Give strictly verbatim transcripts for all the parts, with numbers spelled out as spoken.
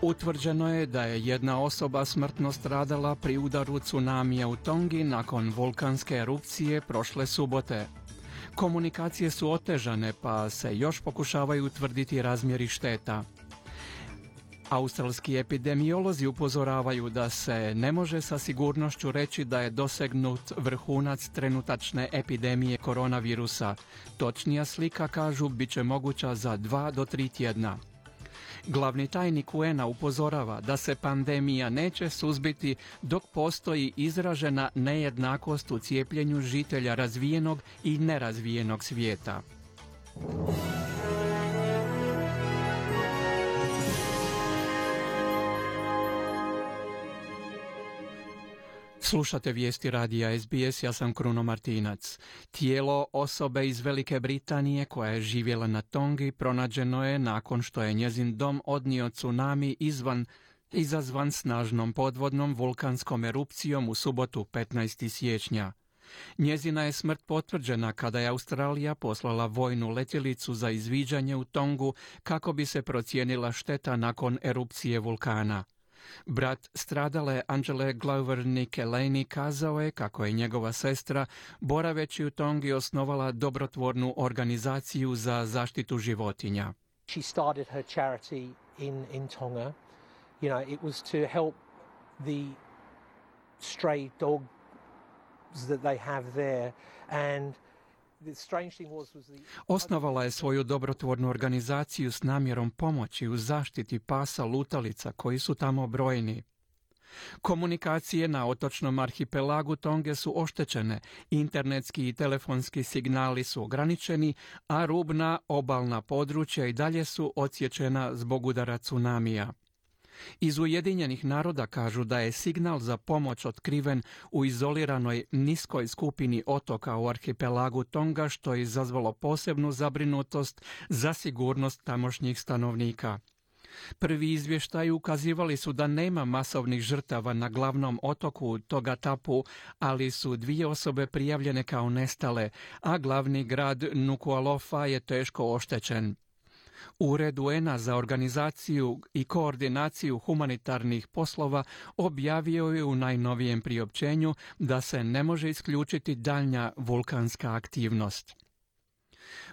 Utvrđeno je da je jedna osoba smrtno stradala pri udaru tsunamija u Tongi nakon vulkanske erupcije prošle subote. Komunikacije su otežane pa se još pokušavaju utvrditi razmjeri šteta. Australski epidemiolozi upozoravaju da se ne može sa sigurnošću reći da je dosegnut vrhunac trenutačne epidemije koronavirusa. Točnija slika, kažu, bit će moguća za dva do tri tjedna. Glavni tajnik U N A upozorava da se pandemija neće suzbiti dok postoji izražena nejednakost u cijepljenju žitelja razvijenog i nerazvijenog svijeta. Slušate vijesti radija S B S, ja sam Kruno Martinac. Tijelo osobe iz Velike Britanije koja je živjela na Tongi pronađeno je nakon što je njezin dom odnio tsunami izvan, izazvan snažnom podvodnom vulkanskom erupcijom u subotu petnaestog siječnja. Njezina je smrt potvrđena kada je Australija poslala vojnu letjelicu za izviđanje u Tongu kako bi se procijenila šteta nakon erupcije vulkana. Brat stradale Angele Glover Nick Eleni kazao je kako je njegova sestra, boraveći u Tongi, osnovala dobrotvornu organizaciju za zaštitu životinja. She started her charity in, in Tonga. You know, it was to help the stray dogs that they have there, and osnovala je svoju dobrotvornu organizaciju s namjerom pomoći u zaštiti pasa lutalica koji su tamo brojni. Komunikacije na otočnom arhipelagu Tonge su oštećene, internetski i telefonski signali su ograničeni, a rubna obalna područja i dalje su odsječena zbog udara tsunamija. Iz Ujedinjenih naroda kažu da je signal za pomoć otkriven u izoliranoj niskoj skupini otoka u arhipelagu Tonga, što je izazvalo posebnu zabrinutost za sigurnost tamošnjih stanovnika. Prvi izvještaji ukazivali su da nema masovnih žrtava na glavnom otoku Togatapu, ali su dvije osobe prijavljene kao nestale, a glavni grad Nuku'alofa je teško oštećen. Ured U N A za organizaciju i koordinaciju humanitarnih poslova objavio je u najnovijem priopćenju da se ne može isključiti daljnja vulkanska aktivnost.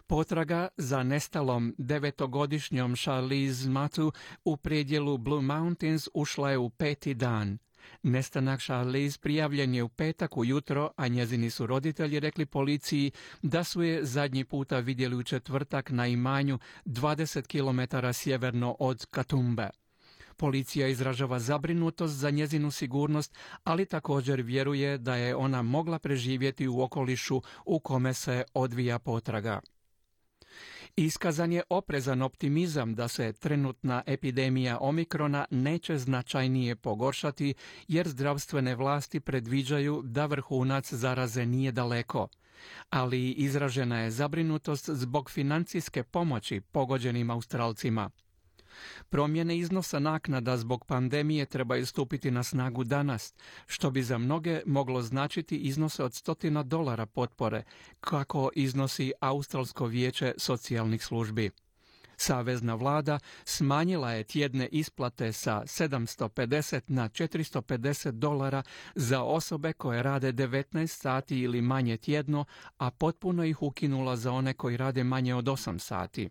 Potraga za nestalom devetogodišnjom Charlize Matu u predjelu Blue Mountains ušla je u peti dan. Nestanak Charlize prijavljen je u petak ujutro, a njezini su roditelji rekli policiji da su je zadnji puta vidjeli u četvrtak na imanju dvadeset kilometara sjeverno od Katumbe. Policija izražava zabrinutost za njezinu sigurnost, ali također vjeruje da je ona mogla preživjeti u okolišu u kome se odvija potraga. Iskazan je oprezan optimizam da se trenutna epidemija omikrona neće značajnije pogoršati, jer zdravstvene vlasti predviđaju da vrhunac zaraze nije daleko. Ali izražena je zabrinutost zbog financijske pomoći pogođenim Australcima. Promjene iznosa naknada zbog pandemije trebaju stupiti na snagu danas, što bi za mnoge moglo značiti iznose od stotina dolara potpore, kako iznosi Australsko vijeće socijalnih službi. Savezna vlada smanjila je tjedne isplate sa sedamsto pedeset na četiristo pedeset dolara za osobe koje rade devetnaest sati ili manje tjedno, a potpuno ih ukinula za one koji rade manje od osam sati.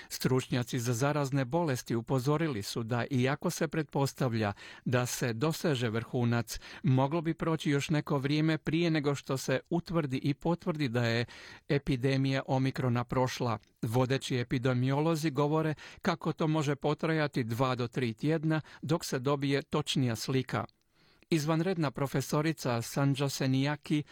Stručnjaci za zarazne bolesti upozorili su da iako se pretpostavlja da se doseže vrhunac, moglo bi proći još neko vrijeme prije nego što se utvrdi i potvrdi da je epidemija omikrona prošla. Vodeći epidemiolozi govore kako to može potrajati dva do tri tjedna dok se dobije točnija slika. Izvanredna profesorica Sanja Senijaki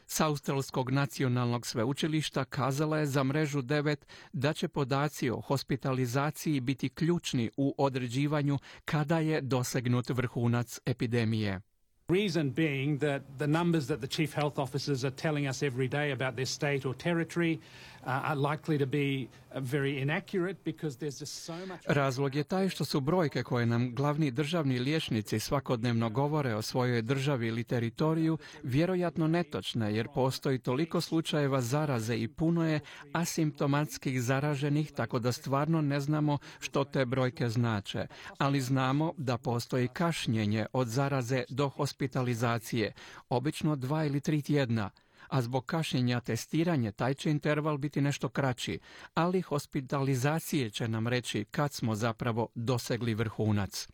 s Australskog nacionalnog sveučilišta kazala je za mrežu devet da će podaci o hospitalizaciji biti ključni u određivanju kada je dosegnut vrhunac epidemije. Reason being that the numbers that the chief health officers are telling us every day about their state or territory uh, are likely to be uh, very inaccurate because there's just so much... Razlog je taj što su brojke koje nam glavni državni liječnici svakodnevno govore o svojoj državi ili teritoriju vjerojatno netočne, jer postoji toliko slučajeva zaraze i puno je asimptomatskih zaraženih, tako da stvarno ne znamo što te brojke znače. Ali znamo da postoji kašnjenje od zaraze do hospitalizacije, obično dva ili tri tjedna, a zbog kašnjenja testiranja taj će interval biti nešto kraći, ali hospitalizacije će nam reći kad smo zapravo dosegli vrhunac.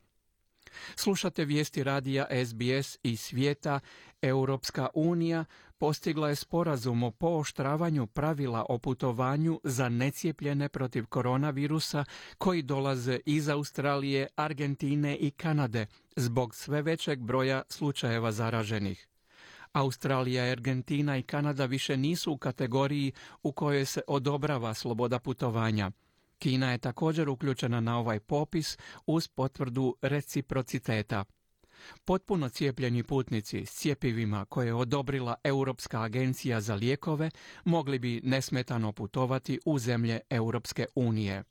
Slušate vijesti radija S B S iz svijeta. Europska unija postigla je sporazum o pooštravanju pravila o putovanju za necijepljene protiv koronavirusa koji dolaze iz Australije, Argentine i Kanade zbog sve većeg broja slučajeva zaraženih. Australija, Argentina i Kanada više nisu u kategoriji u kojoj se odobrava sloboda putovanja. Kina je također uključena na ovaj popis uz potvrdu reciprociteta. Potpuno cijepljeni putnici s cjepivima koje je odobrila Europska agencija za lijekove mogli bi nesmetano putovati u zemlje Europske unije.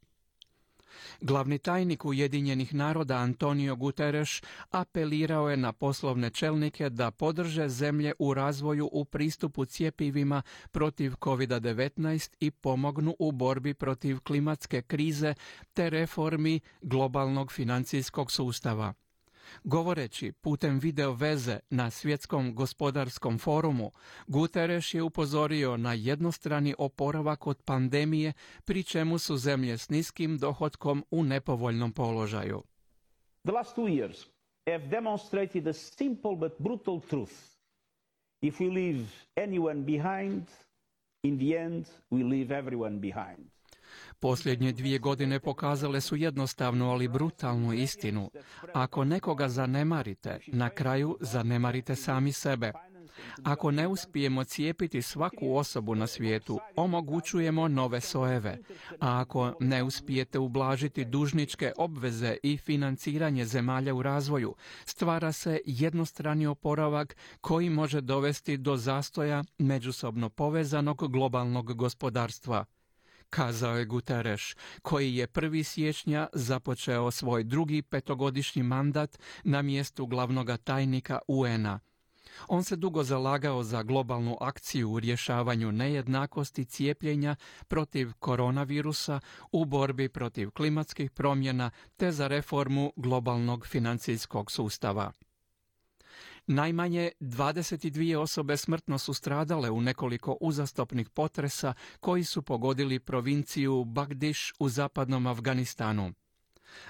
Glavni tajnik Ujedinjenih naroda Antonio Guterres apelirao je na poslovne čelnike da podrže zemlje u razvoju u pristupu cjepivima protiv kovid devetnaest i pomognu u borbi protiv klimatske krize te reformi globalnog financijskog sustava. Govoreći putem video veze na Svjetskom gospodarskom forumu, Guterres je upozorio na jednostrani oporavak od pandemije, pri čemu su zemlje s niskim dohotkom u nepovoljnom položaju. The last two years have demonstrated a simple but brutal truth. If we leave anyone behind, in the end we leave everyone behind. Posljednje dvije godine pokazale su jednostavnu, ali brutalnu istinu. Ako nekoga zanemarite, na kraju zanemarite sami sebe. Ako ne uspijemo cijepiti svaku osobu na svijetu, omogućujemo nove sojeve. A ako ne uspijete ublažiti dužničke obveze i financiranje zemalja u razvoju, stvara se jednostrani oporavak koji može dovesti do zastoja međusobno povezanog globalnog gospodarstva, kazao je Guterres, koji je prvog siječnja započeo svoj drugi petogodišnji mandat na mjestu glavnoga tajnika U N A. On se dugo zalagao za globalnu akciju u rješavanju nejednakosti cijepljenja protiv koronavirusa, u borbi protiv klimatskih promjena te za reformu globalnog financijskog sustava. Najmanje dvadeset dvije osobe smrtno su stradale u nekoliko uzastopnih potresa koji su pogodili provinciju Bagdiš u zapadnom Afganistanu.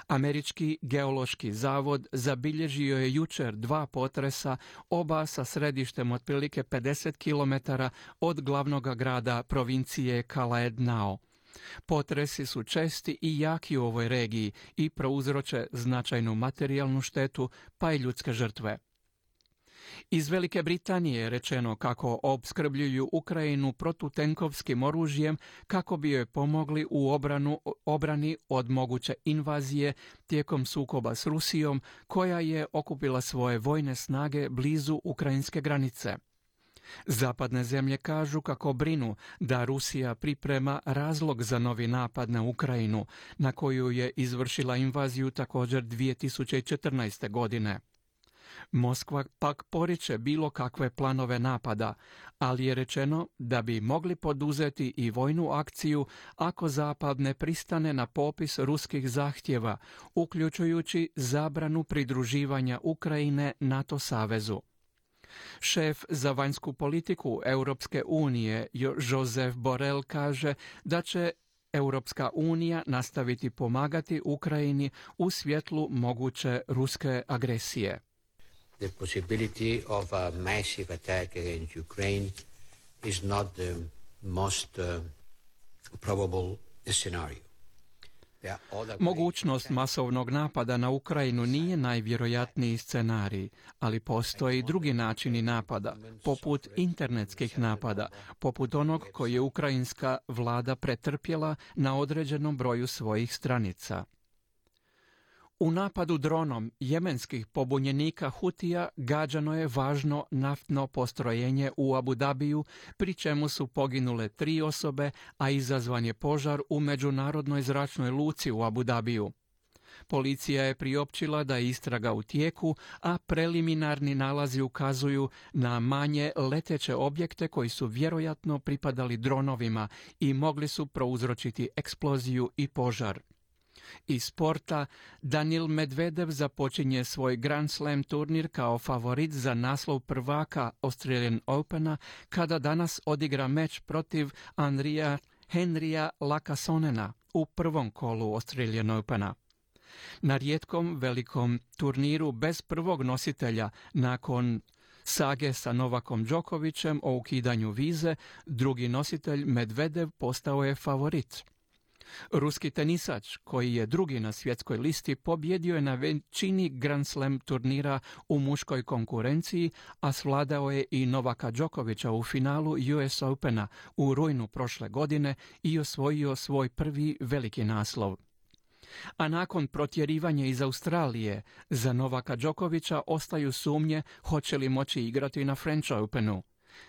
Američki geološki zavod zabilježio je jučer dva potresa, oba sa središtem otprilike pedeset kilometara od glavnog grada provincije Kalaednao. Potresi su česti i jaki u ovoj regiji i prouzroče značajnu materijalnu štetu pa i ljudske žrtve. Iz Velike Britanije je rečeno kako opskrbljuju Ukrajinu protutenkovskim oružjem kako bi joj pomogli u obranu, obrani od moguće invazije tijekom sukoba s Rusijom, koja je okupila svoje vojne snage blizu ukrajinske granice. Zapadne zemlje kažu kako brinu da Rusija priprema razlog za novi napad na Ukrajinu, na koju je izvršila invaziju također dvije tisuće četrnaeste. godine. Moskva pak poriče bilo kakve planove napada, ali je rečeno da bi mogli poduzeti i vojnu akciju ako Zapad ne pristane na popis ruskih zahtjeva, uključujući zabranu pridruživanja Ukrajine NATO savezu. Šef za vanjsku politiku Europske unije Josep Borrell kaže da će Europska unija nastaviti pomagati Ukrajini u svjetlu moguće ruske agresije. The possibility of a massive attack against Ukraine is not the most uh, probable scenario. Mogućnost masovnog napada na Ukrajinu nije najvjerojatniji scenarij, ali postoji drugi načini napada, poput internetskih napada, poput onog koji je ukrajinska vlada pretrpjela na određenom broju svojih stranica. U napadu dronom jemenskih pobunjenika Hutija gađano je važno naftno postrojenje u Abu Dabiju, pri čemu su poginule tri osobe, a izazvan je požar u međunarodnoj zračnoj luci u Abu Dabiju. Policija je priopćila da je istraga u tijeku, a preliminarni nalazi ukazuju na manje leteće objekte koji su vjerojatno pripadali dronovima i mogli su prouzročiti eksploziju i požar. Iz sporta, Daniil Medvedev započinje svoj Grand Slam turnir kao favorit za naslov prvaka Australian Opena, kada danas odigra meč protiv Andrija Henrija Lakassonena u prvom kolu Australian Opena. Na rijetkom velikom turniru bez prvog nositelja nakon sage sa Novakom Đokovićem o ukidanju vize, drugi nositelj Medvedev postao je favorit. Ruski tenisač, koji je drugi na svjetskoj listi, pobjedio je na većini Grand Slam turnira u muškoj konkurenciji, a svladao je i Novaka Đokovića u finalu U S Opena u rujnu prošle godine i osvojio svoj prvi veliki naslov. A nakon protjerivanja iz Australije, za Novaka Đokovića ostaju sumnje hoće li moći igrati na French Openu.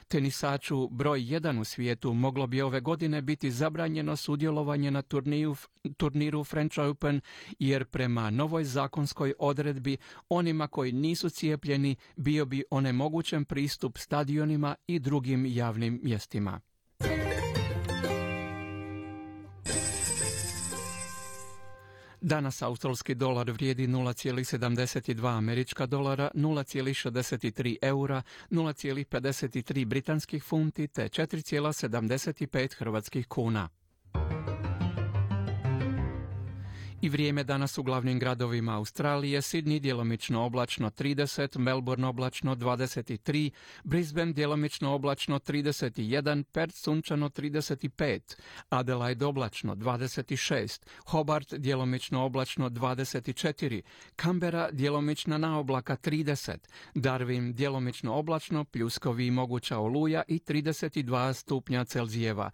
Tenisaču broj jedan u svijetu moglo bi ove godine biti zabranjeno sudjelovanje na turniju, turniru French Open, jer prema novoj zakonskoj odredbi onima koji nisu cijepljeni bio bi onemogućen pristup stadionima i drugim javnim mjestima. Danas australski dolar vrijedi nula zarez sedamdeset dva američka dolara, nula zarez šezdeset tri eura, nula zarez pedeset tri britanskih funti te četiri zarez sedamdeset pet hrvatskih kuna. I vrijeme danas u glavnim gradovima Australije: Sydney djelomično oblačno trideset, Melbourne oblačno dvadeset tri, Brisbane djelomično oblačno trideset jedan, Perth sunčano trideset pet, Adelaide oblačno dvadeset šest, Hobart djelomično oblačno dvadeset četiri, Canberra djelomična na oblaka trideset, Darwin djelomično oblačno, pljuskovi i moguća oluja i trideset dva stupnja Celzijeva,